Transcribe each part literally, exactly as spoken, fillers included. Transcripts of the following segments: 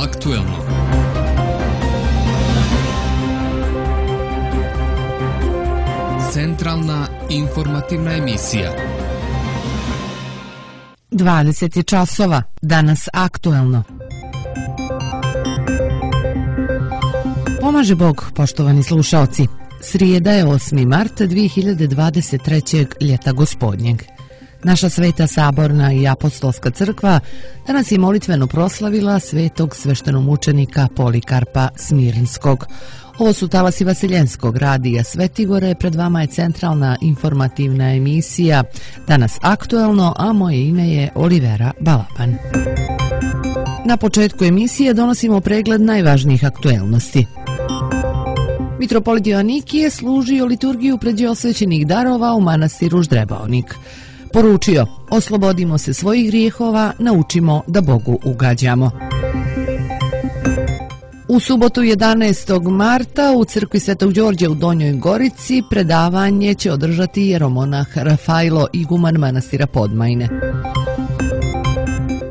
aktuelno. Centralna informativna emisija. dvadeset časova, danas aktuelno. Pomaže Bog, poštovani slušaoci. Srijeda je osmi mart dvije hiljade dvadeset trećeg. ljeta gospodnjeg. Naša Sveta Saborna i Apostolska crkva danas je molitveno proslavila svetog sveštenomučenika Polikarpa Smirnskog. Ovo su talasi Vaseljenskog radija Svetigore, pred vama je centralna informativna emisija, danas aktuelno, a moje ime je Olivera Balaban. Na početku emisije donosimo pregled najvažnijih aktuelnosti. Mitropolit Joanikije služio liturgiju pređe osvećenih darova u manastiru Ždrebaonik. Poručio, oslobodimo se svojih grijehova, naučimo da Bogu ugađamo. U subotu jedanaestog marta u crkvi Svetog Đorđa u Donjoj Gorici predavanje će održati jeromonah Rafajlo, iguman manastira Podmajne.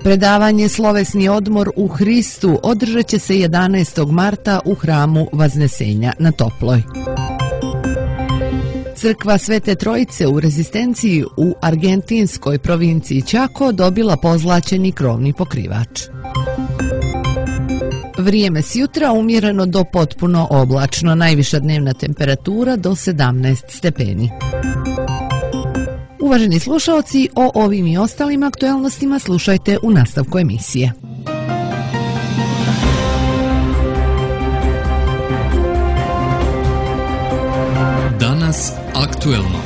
Predavanje Slovesni odmor u Hristu održat će se jedanaestog marta u hramu Vaznesenja na Toploj. Crkva Svete Trojice u Rezistenciji u argentinskoj provinciji Chaco dobila pozlaćeni krovni pokrivač. Vrijeme s jutra umjereno do potpuno oblačno, najviša dnevna temperatura do sedamnaest stepeni. Uvaženi slušaoci, o ovim i ostalim aktuelnostima slušajte u nastavku emisije. Danas aktuelno.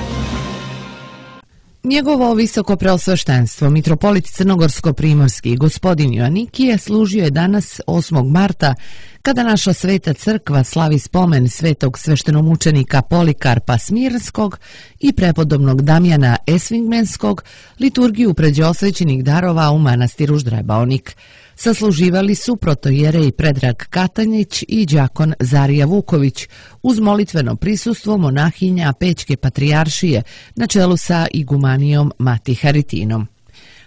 Njegovo visoko preosveštenstvo, mitropolit Crnogorsko-primorski gospodin Joanikije, služio je danas osmog marta, kada naša Sveta crkva slavi spomen svetog sveštenomučenika Polikarpa Smirnskog i prepodobnog Damjana Esvingmenskog, liturgiju pređe osvećenih darova u manastiru Ždrebaonik. Sasluživali su protojerej Predrag Katanjić i đakon Zarija Vuković, uz molitveno prisustvo monahinja Pećke patrijaršije na čelu sa igumanijom Mati Haritinom.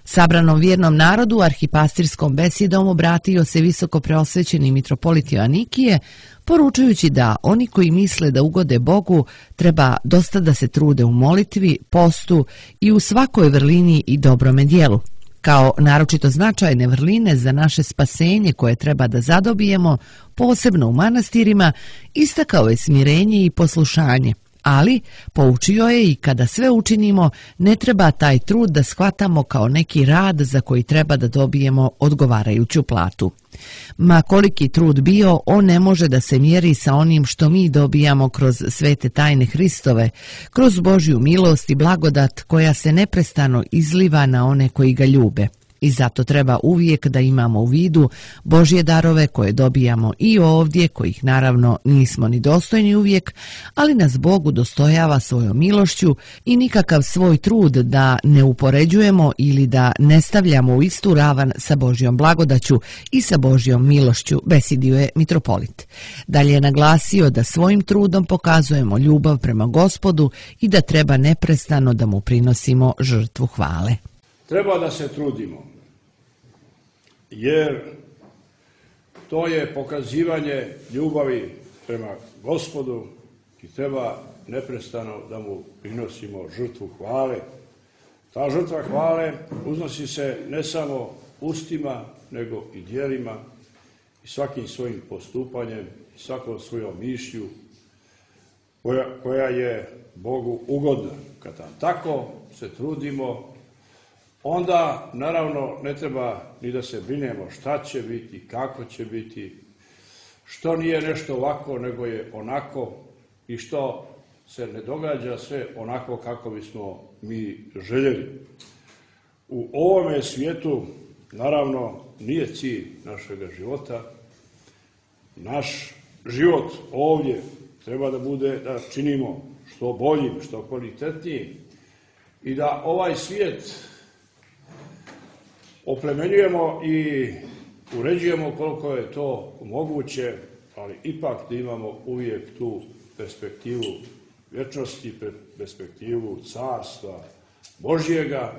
Sabranom vjernom narodu arhipastirskom besedom obratio se visoko preosvećeni mitropolit Joanikije, poručujući da oni koji misle da ugode Bogu treba dosta da se trude u molitvi, postu i u svakoj vrlini i dobrome dijelu. Kao naročito značajne vrline za naše spasenje koje treba da zadobijemo, posebno u manastirima, istakao je smirenje i poslušanje. Ali, poučio je i kada sve učinimo, ne treba taj trud da shvatamo kao neki rad za koji treba da dobijemo odgovarajuću platu. Ma koliki trud bio, on ne može da se mjeri sa onim što mi dobijamo kroz svete tajne Hristove, kroz Božju milost i blagodat koja se neprestano izliva na one koji ga ljube. I zato treba uvijek da imamo u vidu Božje darove koje dobijamo i ovdje, kojih naravno nismo ni dostojni uvijek, ali nas Bog udostojava svojom milošću i nikakav svoj trud da ne upoređujemo ili da ne stavljamo u istu ravan sa Božjom blagodaću i sa Božjom milošću, besedio je mitropolit. Dalje je naglasio da svojim trudom pokazujemo ljubav prema Gospodu i da treba neprestano da mu prinosimo žrtvu hvale. Treba da se trudimo, jer to je pokazivanje ljubavi prema Gospodu i treba neprestano da mu prinosimo žrtvu hvale. Ta žrtva hvale uznosi se ne samo ustima, nego i djelima i svakim svojim postupanjem i svakom svojom mišlju koja, koja je Bogu ugodna. Kada tako se trudimo, onda, naravno, ne treba ni da se brinemo šta će biti, kako će biti, što nije nešto ovako, nego je onako i što se ne događa sve onako kako bismo mi željeli. U ovome svijetu, naravno, nije cilj našega života. Naš život ovdje treba da bude da činimo što boljim, što kvalitetnijim i da ovaj svijet oplemenjujemo i uređujemo koliko je to moguće, ali ipak da imamo uvijek tu perspektivu vječnosti, perspektivu carstva Božjega,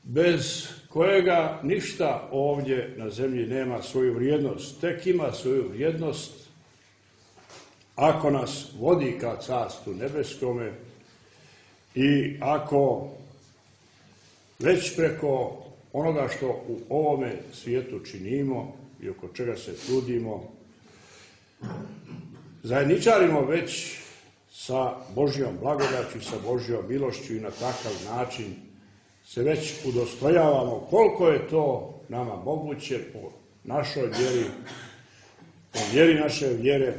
bez kojega ništa ovdje na zemlji nema svoju vrijednost. Tek ima svoju vrijednost ako nas vodi ka Carstvu nebeskome i ako već preko onoga što u ovome svijetu činimo i oko čega se trudimo, zajedničarimo već sa Božjom blagodaću, sa Božjom milošću i na takav način se već udostrojavamo koliko je to nama moguće po našoj vjeri, po vjeri naše vjere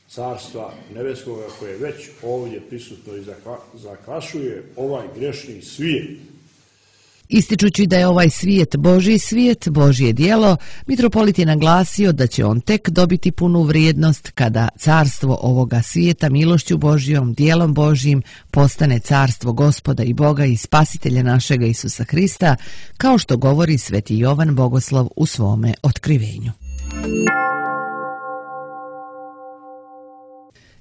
Carstva nebeskoga koje je već ovdje prisutno i zakvašuje ovaj grešni svijet. Ističući da je ovaj svijet Božji svijet, Božje djelo, mitropolit je naglasio da će on tek dobiti punu vrijednost kada carstvo ovoga svijeta milošću Božjom, djelom Božjim postane carstvo Gospoda i Boga i Spasitelja našega Isusa Hrista, kao što govori sveti Jovan Bogoslov u svome otkrivenju.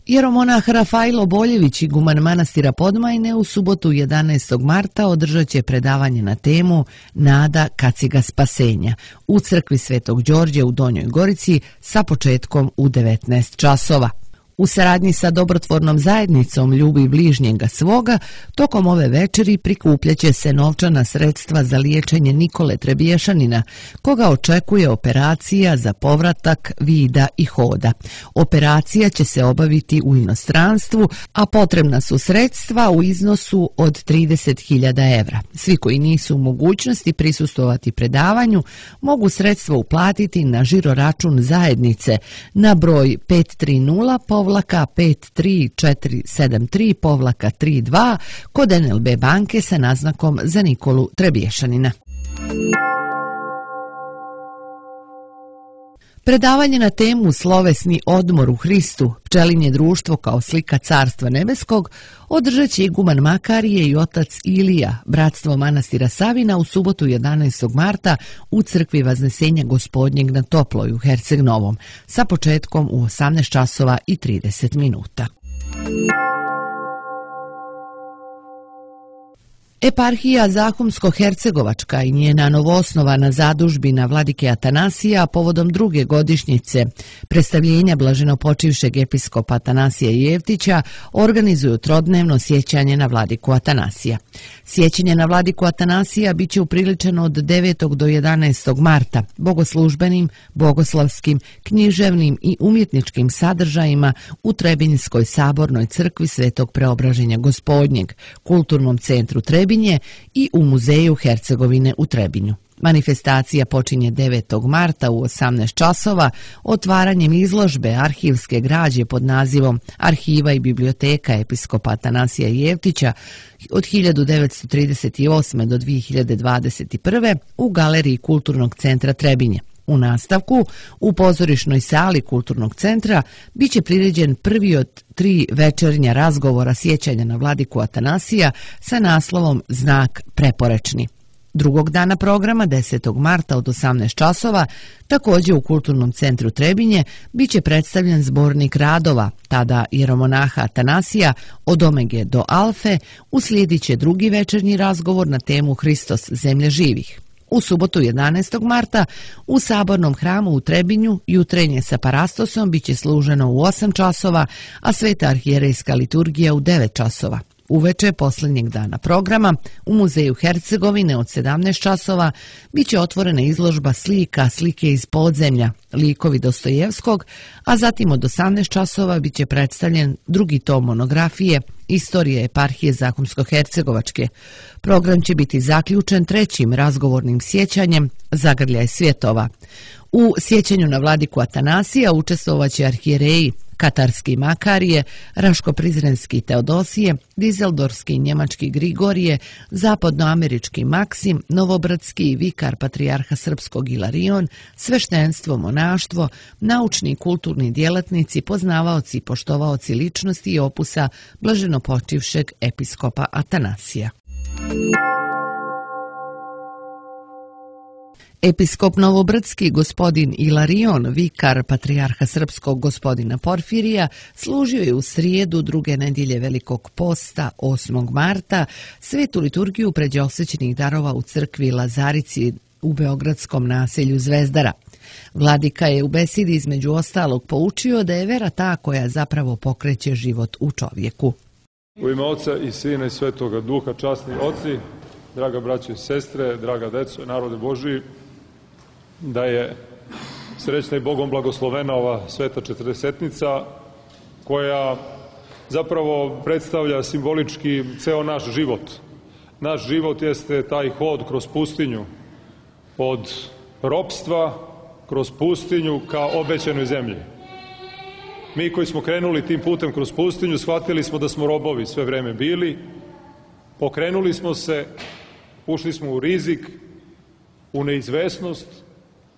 Jeromonah Rafailo Boljević, iguman manastira Podmajne, u subotu jedanaestog marta održat će predavanje na temu Nada kaciga spasenja u crkvi Svetog Đorđe u Donjoj Gorici sa početkom u devetnaest časova. U saradnji sa dobrotvornom zajednicom Ljubi bližnjega svoga, tokom ove večeri prikupljaće se novčana sredstva za liječenje Nikole Trebješanina, koga očekuje operacija za povratak vida i hoda. Operacija će se obaviti u inostranstvu, a potrebna su sredstva u iznosu od trideset hiljada evra. Svi koji nisu u mogućnosti prisustvovati predavanju mogu sredstva uplatiti na žiro račun zajednice na broj pet tri nula povlaka pet tri četiri sedam tri povlaka tri dva kod en el be banke sa naznakom za Nikolu Trebješanina. Predavanje na temu Slovesni odmor u Hristu, pčelinje društvo kao slika Carstva nebeskog, održat će iguman Makarije i otac Ilija, bratstvo manastira Savina, u subotu jedanaestog marta u crkvi Vaznesenja Gospodnjeg na Toploj u Herceg Novom, sa početkom u osamnaest časova i trideset minuta. Eparhija Zahumsko-Hercegovačka i njena novoosnovana zadužbina vladike Atanasija povodom druge godišnjice predstavljenja blaženopočivšeg episkopa Atanasija Jevtića organizuju trodnevno sjećanje na vladiku Atanasija. Sjećanje na vladiku Atanasija biće upriličeno od devetog do jedanaestog marta bogoslužbenim, bogoslavskim, književnim i umjetničkim sadržajima u Trebinjskoj sabornoj crkvi Svetog Preobraženja Gospodnjeg, kulturnom centru Trebinje i u muzeju Hercegovine u Trebinju. Manifestacija počinje devetog marta u osamnaest časova otvaranjem izložbe arhivske građe pod nazivom Arhiva i biblioteka episkopa Atanasija Jevtića od hiljadu devetsto trideset osme do dvije hiljade dvadeset prve u galeriji Kulturnog centra Trebinje. U nastavku, u pozorišnoj sali Kulturnog centra, bit će priređen prvi od tri večernja razgovora sjećanja na vladiku Atanasija sa naslovom Znak preporečni. Drugog dana programa, desetog marta od osamnaest časova, također u Kulturnom centru Trebinje, bit će predstavljen zbornik radova, tada jeromonaha Atanasija, od Omege do Alfe, uslijedit će drugi večernji razgovor na temu Hristos zemlje živih. U subotu jedanaestog marta u Sabornom hramu u Trebinju jutrenje sa parastosom bit će služeno u osam časova, a sveta arhijerejska liturgija u devet časova. Uveče posljednjeg dana programa u muzeju Hercegovine od sedamnaest časova bit će otvorena izložba slika, slike iz podzemlja, likovi Dostojevskog, a zatim od osamnaest časova bit će predstavljen drugi tom monografije Istorije eparhije Zahumsko-Hercegovačke. Program će biti zaključen trećim razgovornim sjećanjem Zagrljaj svjetova. U sjećanju na vladiku Atanasija učestvovaće arhijereji Katarski Makarije, Raško-Prizrenski Teodosije, Dizeldorski Njemački Grigorije, Zapadnoamerički Maksim, Novobradski vikar patrijarha Srpskog Ilarion, sveštenstvo, monaštvo, naučni i kulturni djelatnici, poznavaoci i poštovaoci ličnosti i opusa blaženopočivšeg episkopa Atanasija. Episkop Novobrdski gospodin Ilarion, vikar patrijarha srpskog gospodina Porfirija, služio je u srijedu druge nedjelje Velikog posta, osmog marta, svetu liturgiju pređeosvećenih darova u crkvi Lazarici u beogradskom naselju Zvezdara. Vladika je u besedi između ostalog poučio da je vera ta koja zapravo pokreće život u čovjeku. U ime Oca i Sina i Svetoga Duha, časni oci, draga braćo i sestre, draga deco, narode Božiji, da je srećna i Bogom blagoslovena ova sveta četrdesetnica koja zapravo predstavlja simbolički ceo naš život. Naš život jeste taj hod kroz pustinju, od ropstva kroz pustinju ka obećanoj zemlji. Mi koji smo krenuli tim putem kroz pustinju, shvatili smo da smo robovi sve vreme bili, pokrenuli smo se, ušli smo u rizik, u neizvesnost,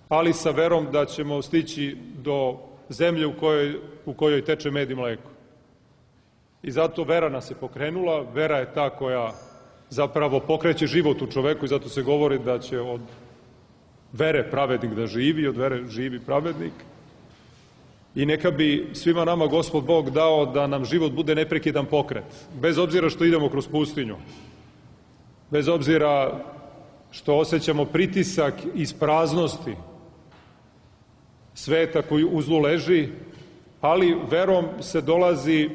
ali sa verom da ćemo stići do zemlje u kojoj, u kojoj teče med i mleko. I zato vera nas je pokrenula, vera je ta koja zapravo pokreće život u čoveku i zato se govori da će od vere pravednik da živi, od vere živi pravednik. I neka bi svima nama Gospod Bog dao da nam život bude neprekidan pokret, bez obzira što idemo kroz pustinju, bez obzira što osjećamo pritisak iz praznosti sveta koji u zlu leži, ali verom se dolazi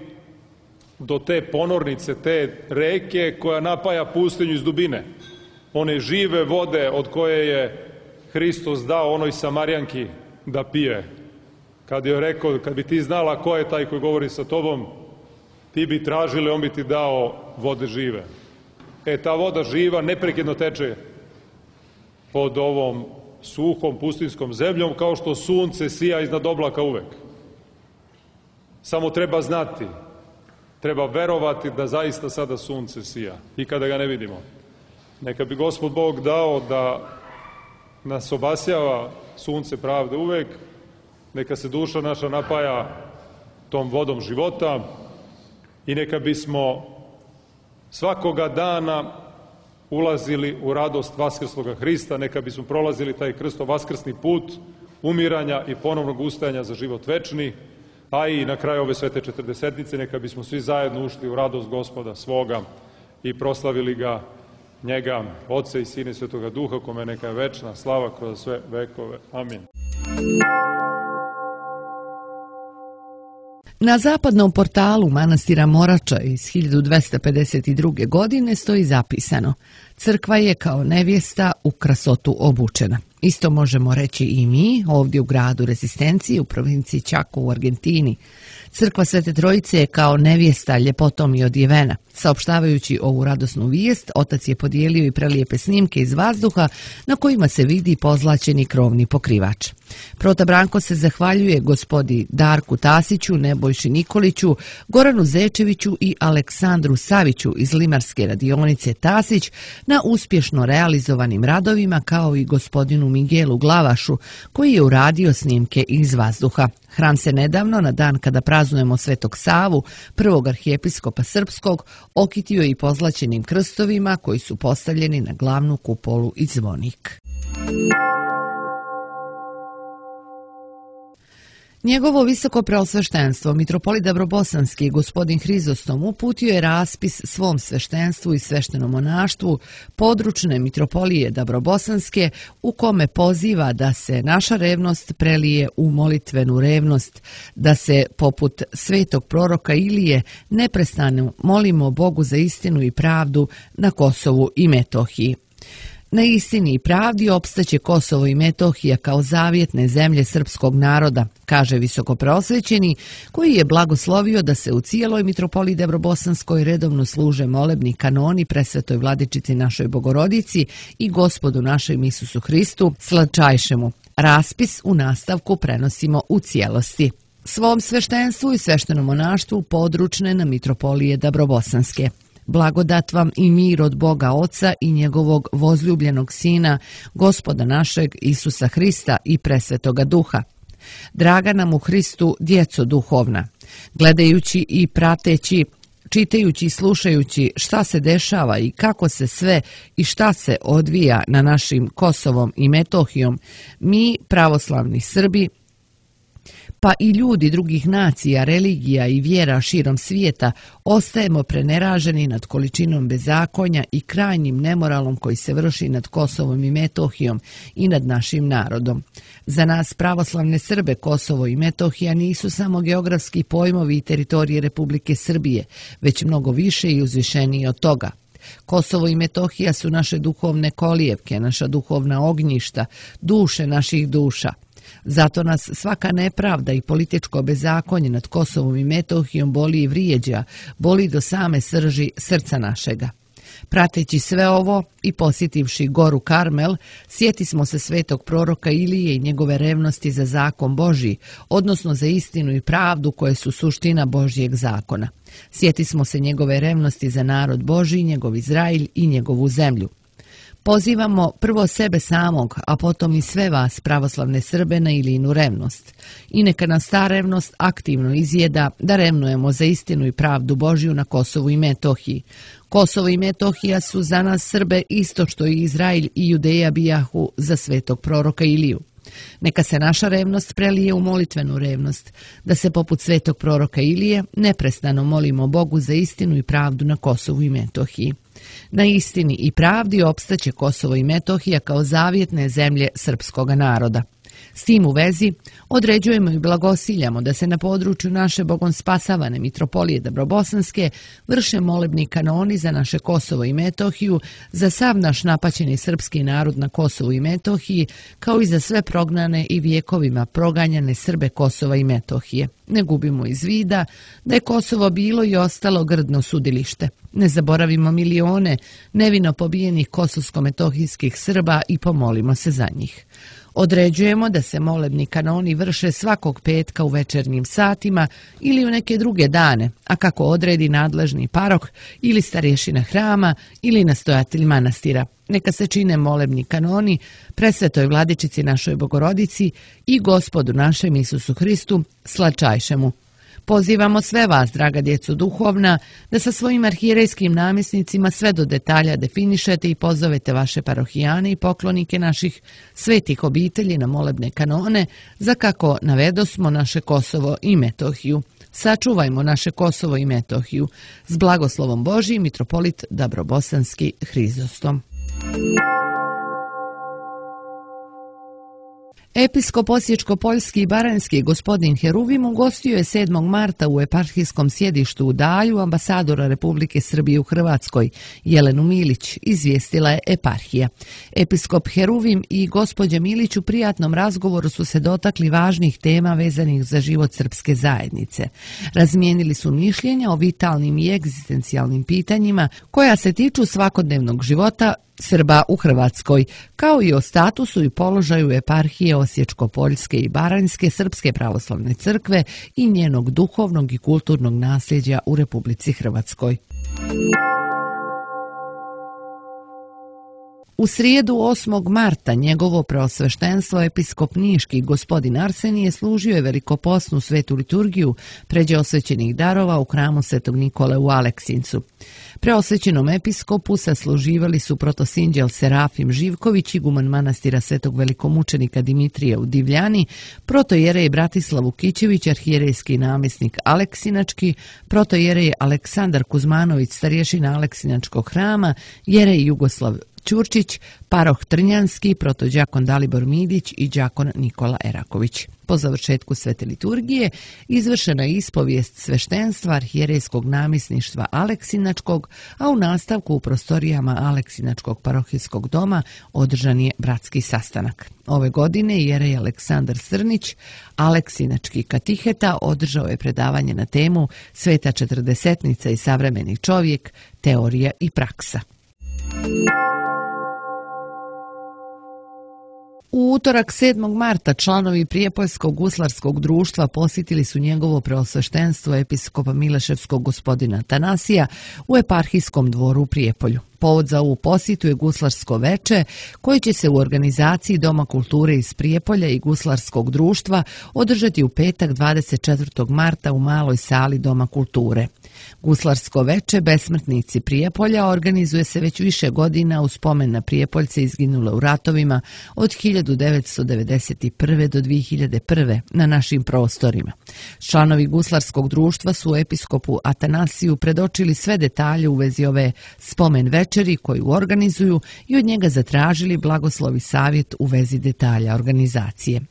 do te ponornice, te reke koja napaja pustinju iz dubine. One žive vode od koje je Hristos dao onoj Samarijanki da pije. Kad je rekao, kad bi ti znala ko je taj koji govori sa tobom, ti bi tražili, on bi ti dao vode žive. E, ta voda živa neprekidno teče pod ovom suhom pustinskom zemljom, kao što sunce sija iznad oblaka uvek. Samo treba znati, treba verovati da zaista sada sunce sija i kada ga ne vidimo. Neka bi Gospod Bog dao da nas obasjava sunce pravde uvek, neka se duša naša napaja tom vodom života i neka bismo svakoga dana ulazili u radost vaskrsloga Hrista, neka bismo prolazili taj krsto vaskrsni put umiranja i ponovnog ustajanja za život večni, a i na kraju ove svete četrdesetnice neka bismo svi zajedno ušli u radost Gospoda svoga i proslavili ga, njega, Otca i Sina i Svetoga Duha, kome neka je večna slava kroz sve vekove. Amin. Na zapadnom portalu manastira Morača iz hiljadu dvesta pedeset druge. godine stoji zapisano: crkva je kao nevjesta u krasotu obučena. Isto možemo reći i mi ovdje u gradu Rezistencije u provinciji Chaco u Argentini. Crkva Svete Trojice je kao nevjesta ljepotom i odjevena. Saopštavajući ovu radosnu vijest, otac je podijelio i prelijepe snimke iz vazduha na kojima se vidi pozlaćeni krovni pokrivač. Prota Branko se zahvaljuje gospodi Darku Tasiću, Nebojši Nikoliću, Goranu Zečeviću i Aleksandru Saviću iz limarske radionice Tasić na uspješno realizovanim radovima, kao i gospodinu Miguelu Glavašu koji je uradio snimke iz vazduha. Hram se nedavno, na dan kada praznujemo Svetog Savu, prvog arhijepiskopa srpskog, okitio i pozlaćenim krstovima koji su postavljeni na glavnu kupolu i zvonik. Njegovo visoko preosveštenstvo, mitropolit Dabrobosanski, gospodin Hrizostom, uputio je raspis svom sveštenstvu i sveštenom monaštvu područne mitropolije Dabrobosanske, u kome poziva da se naša revnost prelije u molitvenu revnost, da se poput svetog proroka Ilije neprestano molimo Bogu za istinu i pravdu na Kosovu i Metohiji. Na istini i pravdi opstaće Kosovo i Metohija kao zavjetne zemlje srpskog naroda, kaže visokopreosvećeni, koji je blagoslovio da se u cijeloj mitropoliji Dabrobosanskoj redovno služe molebni kanoni presvetoj vladičici našoj Bogorodici i Gospodu našem Isusu Hristu, slatčajšemu. Raspis u nastavku prenosimo u cijelosti. Svom sveštenstvu i sveštenom monaštvu područne na mitropolije Dabrobosanske. Blagodat vam i mir od Boga Oca i njegovog vozljubljenog Sina, Gospoda našeg Isusa Hrista i presvetoga Duha. Draga nam u Hristu, djeco duhovna, gledajući i prateći čitajući i slušajući šta se dešava i kako se sve i šta se odvija na našim Kosovom i Metohijom, mi, pravoslavni Srbi, pa i ljudi drugih nacija, religija i vjera širom svijeta, ostajemo preneraženi nad količinom bezakonja i krajnjim nemoralom koji se vrši nad Kosovom i Metohijom i nad našim narodom. Za nas, pravoslavne Srbe, Kosovo i Metohija nisu samo geografski pojmovi i teritorije Republike Srbije, već mnogo više i uzvišenije od toga. Kosovo i Metohija su naše duhovne kolijevke, naša duhovna ognjišta, duše naših duša. Zato nas svaka nepravda i političko bezakonje nad Kosovom i Metohijom boli i vrijeđa, boli do same srži srca našega. Prateći sve ovo i posjetivši goru Karmel, sjeti smo se svetog proroka Ilije i njegove revnosti za zakon Božji, odnosno za istinu i pravdu koje su suština Božjeg zakona. Sjeti smo se njegove revnosti za narod Božji, njegov Izrailj i njegovu zemlju. Pozivamo prvo sebe samog, a potom i sve vas, pravoslavne Srbe, na Ilijinu revnost. I neka nas ta revnost aktivno izjeda da revnujemo za istinu i pravdu Božju na Kosovu i Metohiji. Kosovo i Metohija su za nas Srbe isto što i Izrailj i Judeja bijahu za svetog proroka Iliju. Neka se naša revnost prelije u molitvenu revnost, da se poput svetog proroka Ilije neprestano molimo Bogu za istinu i pravdu na Kosovu i Metohiji. Na istini i pravdi opstaće Kosovo i Metohija kao zavjetne zemlje srpskoga naroda. S tim u vezi određujemo i blagosiljamo da se na području naše bogom spasavane mitropolije Dabrobosanske vrše molebni kanoni za naše Kosovo i Metohiju, za sav naš napaćeni srpski narod na Kosovu i Metohiji, kao i za sve prognane i vijekovima proganjane Srbe Kosova i Metohije. Ne gubimo iz vida da je Kosovo bilo i ostalo grdno sudilište. Ne zaboravimo milione nevino pobijenih kosovsko-metohijskih Srba i pomolimo se za njih. Određujemo da se molebni kanoni vrše svakog petka u večernjim satima ili u neke druge dane, a kako odredi nadležni parok ili starješina hrama ili nastojatelj manastira. Neka se čine molebni kanoni presvetoj vladičici našoj Bogorodici i Gospodu našem Isusu Hristu, slačajšemu. Pozivamo sve vas, draga djeco duhovna, da sa svojim arhijerejskim namjesnicima sve do detalja definišete i pozovete vaše parohijane i poklonike naših svetih obitelji na molebne kanone, za kako navedosmo naše Kosovo i Metohiju. Sačuvajmo naše Kosovo i Metohiju. S blagoslovom Božijim, mitropolit Dabrobosanski Hrizostom. Episkop Osječko-Poljski i Baranjski gospodin Heruvim ugostio je sedmog marta u eparhijskom sjedištu u Dalju ambasadora Republike Srbije u Hrvatskoj, Jelenu Milić, izvijestila je eparhija. Episkop Heruvim i gospođa Milić u prijatnom razgovoru su se dotakli važnih tema vezanih za život srpske zajednice. Razmijenili su mišljenja o vitalnim i egzistencijalnim pitanjima koja se tiču svakodnevnog života Srba u Hrvatskoj, kao i o statusu i položaju eparhije Osječko-Poljske i Baranjske Srpske pravoslavne crkve i njenog duhovnog i kulturnog nasljeđa u Republici Hrvatskoj. U srijedu osmog marta njegovo preosveštenstvo episkop niški gospodin Arsenije služio je velikoposnu svetu liturgiju pređe osvećenih darova u hramu Svetog Nikole u Aleksincu. Preosvećenom episkopu sasluživali su protosinđel Serafim Živković, iguman manastira Svetog velikomučenika Dimitrija u Divljani, protojerej Bratislav Vukićević, arhijerejski namjesnik Aleksinački, protojerej Aleksandar Kuzmanović, starješina Aleksinačkog hrama, jerej Jugoslav Ćurčić, paroh Trnjanski, protođakon Dalibor Midić i đakon Nikola Eraković. Po završetku svete liturgije izvršena je ispovijest sveštenstva arhijerejskog namjesništva Aleksinačkog, a u nastavku u prostorijama Aleksinačkog parohijskog doma održan je bratski sastanak. Ove godine jerej Aleksandar Srnić, Aleksinački katiheta, održao je predavanje na temu Sveta četrdesetnica i savremeni čovjek, teorija i praksa. U utorak sedmog marta članovi Prijepoljskog guslarskog društva posjetili su njegovo preosveštenstvo episkopa Mileševskog gospodina Tanasija u eparhijskom dvoru u Prijepolju. Povod za ovu posjetu je guslarsko veče koje će se u organizaciji Doma kulture iz Prijepolja i guslarskog društva održati u petak dvadeset četvrtog marta u maloj sali Doma kulture. Guslarsko veče Besmrtnici Prijepolja organizuje se već više godina u spomen na Prijepoljce izginule u ratovima od hiljadu devetsto devedeset prve. do dvije hiljade prve. na našim prostorima. Članovi Guslarskog društva su episkopu Atanasiju predočili sve detalje u vezi ove spomen večeri koju organizuju i od njega zatražili blagoslov i savjet u vezi detalja organizacije.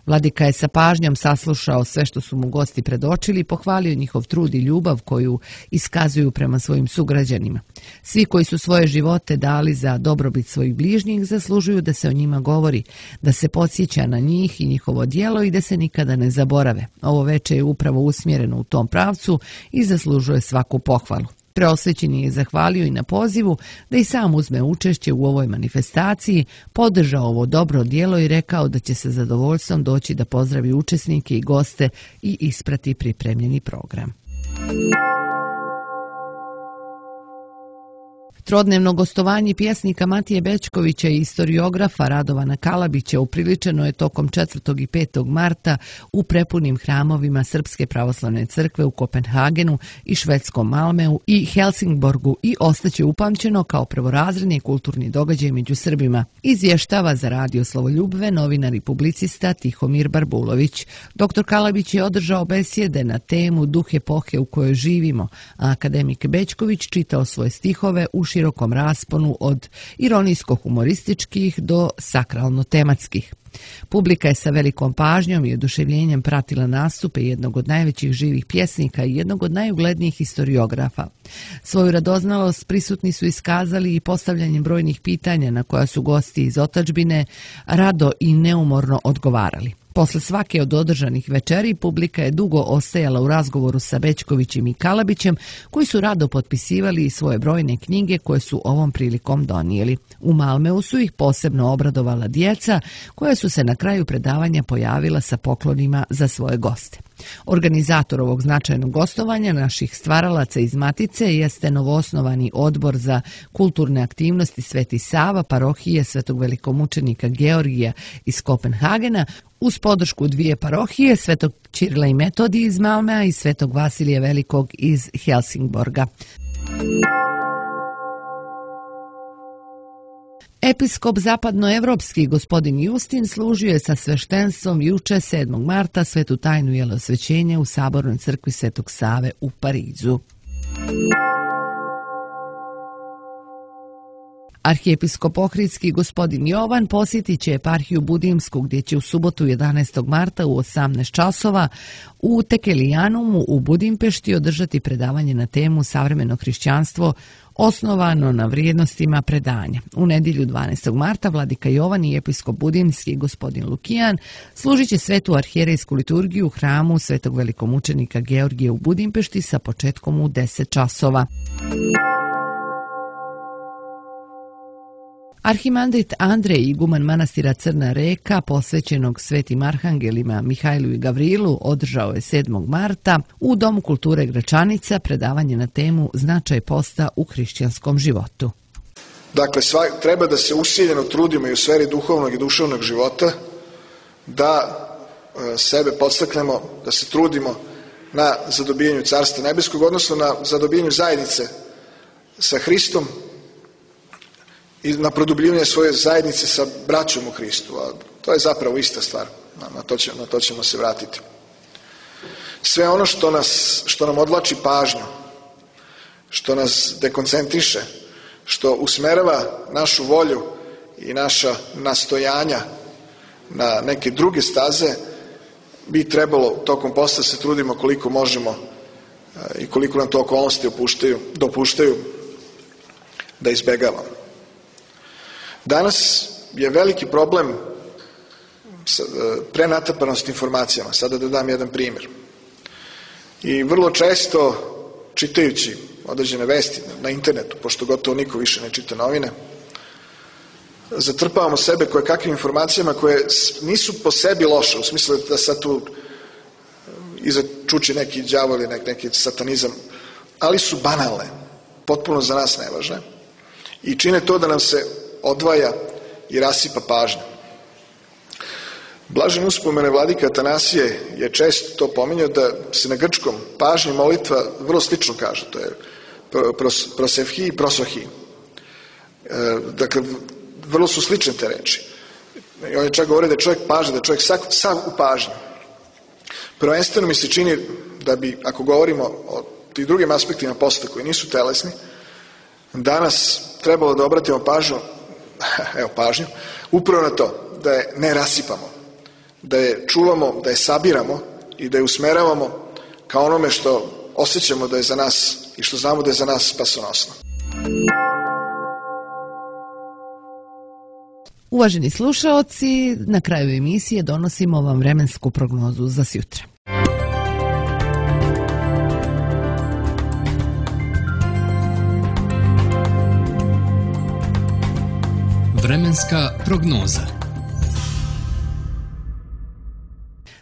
Vladika je sa pažnjom saslušao sve što su mu gosti predočili i pohvalio njihov trud i ljubav koju iskazuju prema svojim sugrađanima. Svi koji su svoje živote dali za dobrobit svojih bližnjih zaslužuju da se o njima govori, da se podsjeća na njih i njihovo djelo i da se nikada ne zaborave. Ovo veče je upravo usmjereno u tom pravcu i zaslužuje svaku pohvalu. Preosvećeni je zahvalio i na pozivu da i sam uzme učešće u ovoj manifestaciji, podržao ovo dobro djelo i rekao da će se zadovoljstvom doći da pozdravi učesnike i goste i isprati pripremljeni program. Trodnevno gostovanje pjesnika Matije Bećkovića i historiografa Radovana Kalabića upriličeno je tokom četvrtog i petog marta u prepunim hramovima Srpske pravoslavne crkve u Kopenhagenu i švedskom Malmeu i Helsingborgu i ostaće upamćeno kao prvorazredni kulturni događaj među Srbima. Izvještava za Radio Slovoljubve novinar i publicista Tihomir Barbulović. Doktor Kalabić je održao besjede na temu Duh epohe u kojoj živimo, a akademik Bećković čitao svoje stihove u širokom rasponu od ironijsko-humorističkih do sakralno-tematskih. Publika je sa velikom pažnjom i oduševljenjem pratila nastupe jednog od najvećih živih pjesnika i jednog od najuglednijih historiografa. Svoju radoznalost prisutni su iskazali i postavljanjem brojnih pitanja na koja su gosti iz otadžbine rado i neumorno odgovarali. Posle svake od održanih večeri publika je dugo ostajala u razgovoru sa Bećkovićem i Kalabićem, koji su rado potpisivali svoje brojne knjige koje su ovom prilikom donijeli. U Malmeu su ih posebno obradovala djeca, koja su se na kraju predavanja pojavila sa poklonima za svoje goste. Organizator ovog značajnog gostovanja naših stvaralaca iz Matice jeste novoosnovani odbor za kulturne aktivnosti Sveti Sava, parohije Svetog velikomučenika Georgija iz Kopenhagena, uz podršku dvije parohije, Svetog Ćirila i Metodija iz Malmea i Svetog Vasilija Velikog iz Helsingborga. Episkop zapadnoevropski gospodin Justin služio je sa sveštenstvom juče sedmog marta svetu tajnu jelosvećenja u Sabornoj crkvi Svetog Save u Parizu. Arhijepiskop Ohridski gospodin Jovan posjetit će eparhiju Budimsku, gdje će u subotu jedanaestog marta u osamnaest časova u Tekelijanumu u Budimpešti održati predavanje na temu Savremeno hrišćanstvo osnovano na vrijednostima predanja. U nedjelju dvanaestog marta vladika Jovan i episkop Budimski gospodin Lukijan služit će svetu arhijerejsku liturgiju u hramu Svetog velikomučenika Georgija u Budimpešti sa početkom u deset časova. Arhimandrit Andrej, iguman manastira Crna Reka, posvećenog svetim arhangelima Mihajlu i Gavrilu, održao je sedmog marta u Domu kulture Gračanica predavanje na temu Značaj posta u hrišćanskom životu. Dakle, sva, treba da se usiljeno trudimo i u sferi duhovnog i duševnog života, da e, sebe podstaknemo, da se trudimo na zadobijanju Carstva nebeskog, odnosno na zadobijanju zajednice sa Hristom, i na produbljivanje svoje zajednice sa braćom u Hristu. A to je zapravo ista stvar. Na to, će, na to ćemo se vratiti. Sve ono što, nas, što nam odvlači pažnju, što nas dekoncentriše, što usmerava našu volju i naša nastojanja na neke druge staze, bi trebalo tokom posta se trudimo koliko možemo i koliko nam to okolnosti opuštaju, dopuštaju da izbegavamo. Danas je veliki problem prenatrpanost informacijama. Sada da dam jedan primjer. I vrlo često, čitajući određene vesti na internetu, pošto gotovo niko više ne čita novine, zatrpavamo sebe koje kakvim informacijama koje nisu po sebi loše, u smislu da sad tu iza čuči neki đavo ili neki satanizam, ali su banalne, potpuno za nas nevažne i čine to da nam se odvaja i rasipa pažnja. Blaženi uspomene vladika Atanasije je često to pominjao da se na grčkom pažnja molitva vrlo slično kaže, to je pros, prosevhi i prosohi. Dakle, vrlo su slične te reči. I on je čak govorio da je čovjek pažnja, da je čovjek sav, sav u pažnji. Prvenstveno mi se čini da bi, ako govorimo o tih drugim aspektima posta koji nisu telesni, danas trebalo da obratimo pažnju, evo pažnju, upravo na to, da je ne rasipamo, da je čuvamo, da je sabiramo i da je usmeravamo ka onome što osjećamo da je za nas i što znamo da je za nas spasonosno. Uvaženi slušaoci, na kraju emisije donosimo vam vremensku prognozu za sjutra. Vremenska prognoza.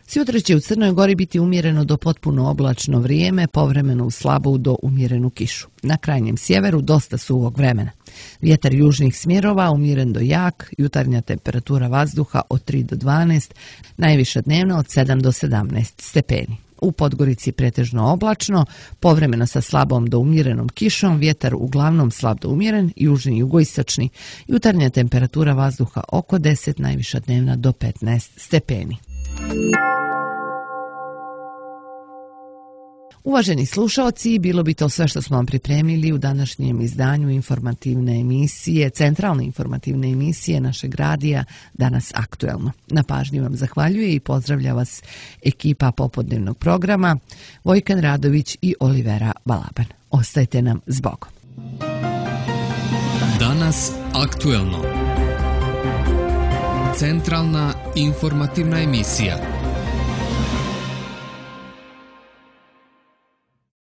Sutra će u Crnoj Gori biti umjereno do potpuno oblačno vrijeme, povremeno u slabu do umjerenu kišu. Na krajnjem sjeveru dosta suvog vremena. Vjetar južnih smjerova umjeren do jak, jutarnja temperatura vazduha od tri do dvanaest, najviša dnevna od sedam do sedamnaest stepeni. U Podgorici pretežno oblačno, povremeno sa slabom do umjerenom kišom, vjetar uglavnom slab do umjeren, južni i jugoistočni, jutarnja temperatura vazduha oko deset, najviša dnevna do petnaest stepeni. Uvaženi slušaoci, bilo bi to sve što smo vam pripremili u današnjem izdanju informativne emisije, centralne informativne emisije našeg radija Danas aktuelno. Na pažnji vam zahvaljuje i pozdravlja vas ekipa popodnevnog programa Vojkan Radović i Olivera Balaban. Ostajte nam s Bogom. Danas aktuelno. Centralna informativna emisija.